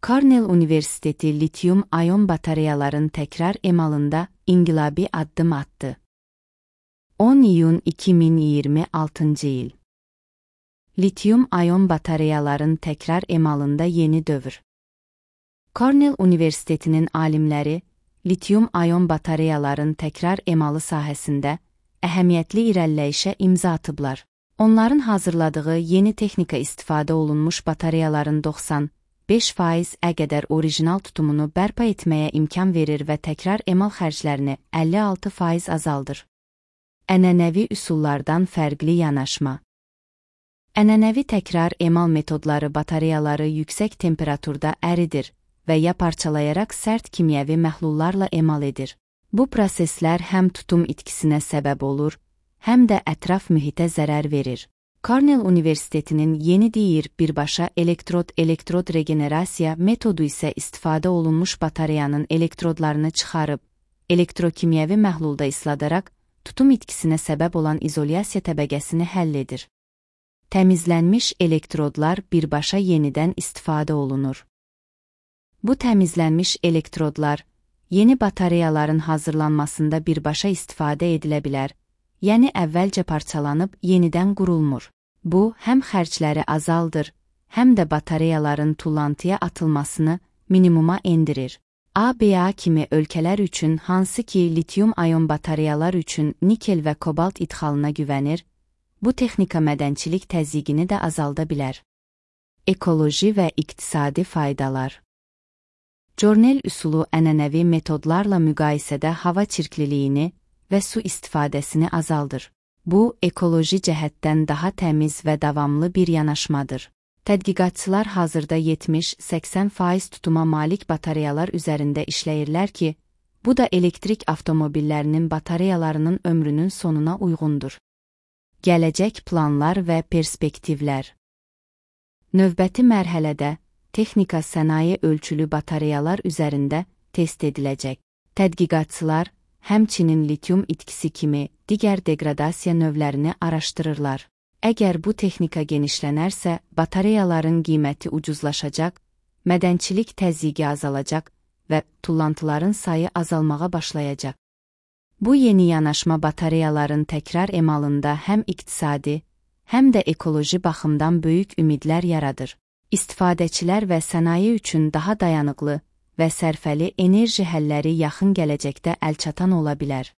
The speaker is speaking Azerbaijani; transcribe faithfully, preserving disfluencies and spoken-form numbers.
Cornell Universiteti lityum-ayon batareyaların təkrar emalında inqilabi addım attı. on iyun iki min iyirmi altıncı il. Lityum-ayon batareyaların təkrar emalında yeni dövr. Cornell Universitetinin alimləri, lityum-ayon batareyaların təkrar emalı sahəsində əhəmiyyətli irəliləyişə imza atıblar. Onların hazırladığı yeni texnika istifadə olunmuş batareyaların doxsan beş faizə qədər orijinal tutumunu bərpa etməyə imkan verir və təkrar emal xərclərini əlli altı faiz azaldır. Ənənəvi üsullardan fərqli yanaşma. Ənənəvi təkrar emal metodları batareyaları yüksək temperaturda əridir və ya parçalayaraq sərt kimyəvi məhlullarla emal edir. Bu proseslər həm tutum itkisinə səbəb olur, həm də ətraf mühitə zərər verir. Cornell Universitetinin yeni deyir birbaşa elektrod-elektrod regenerasiya metodu isə istifadə olunmuş batareyanın elektrodlarını çıxarıb, elektrokimyəvi məhlulda isladaraq, tutum itkisinə səbəb olan izolyasiya təbəqəsini həll edir. Təmizlənmiş elektrodlar birbaşa yenidən istifadə olunur. Bu təmizlənmiş elektrodlar, yeni batareyaların hazırlanmasında birbaşa istifadə edilə bilər, yəni əvvəlcə parçalanıb yenidən qurulmur. Bu, həm xərcləri azaldır, həm də batareyaların tullantıya atılmasını minimuma endirir. A B A kimi ölkələr üçün, hansı ki lityum-ayon batareyalar üçün nikel və kobalt idxalına güvənir, bu texnika mədənçilik təzyiqini də azalda bilər. Ekoloji və iqtisadi faydalar. Cornell üsulu ənənəvi metodlarla müqayisədə hava çirkliliyini və su istifadəsini azaldır. Bu, ekoloji cəhətdən daha təmiz və davamlı bir yanaşmadır. Tədqiqatçılar hazırda yetmiş səksən faiz tutuma malik batareyalar üzərində işləyirlər ki, bu da elektrik avtomobillərinin batareyalarının ömrünün sonuna uyğundur. Gələcək planlar və perspektivlər. Növbəti mərhələdə, texnika sənaye ölçülü batareyalar üzərində test ediləcək. Tədqiqatçılar, həmçinin lityum itkisi kimi digər degradasiya növlərini araşdırırlar. Əgər bu texnika genişlənərsə, batareyaların qiyməti ucuzlaşacaq, mədənçilik təzyiqi azalacaq və tullantıların sayı azalmağa başlayacaq. Bu yeni yanaşma batareyaların təkrar emalında həm iqtisadi, həm də ekoloji baxımdan böyük ümidlər yaradır. İstifadəçilər və sənaye üçün daha dayanıqlı və sərfəli enerji həlləri yaxın gələcəkdə əlçatan ola bilər.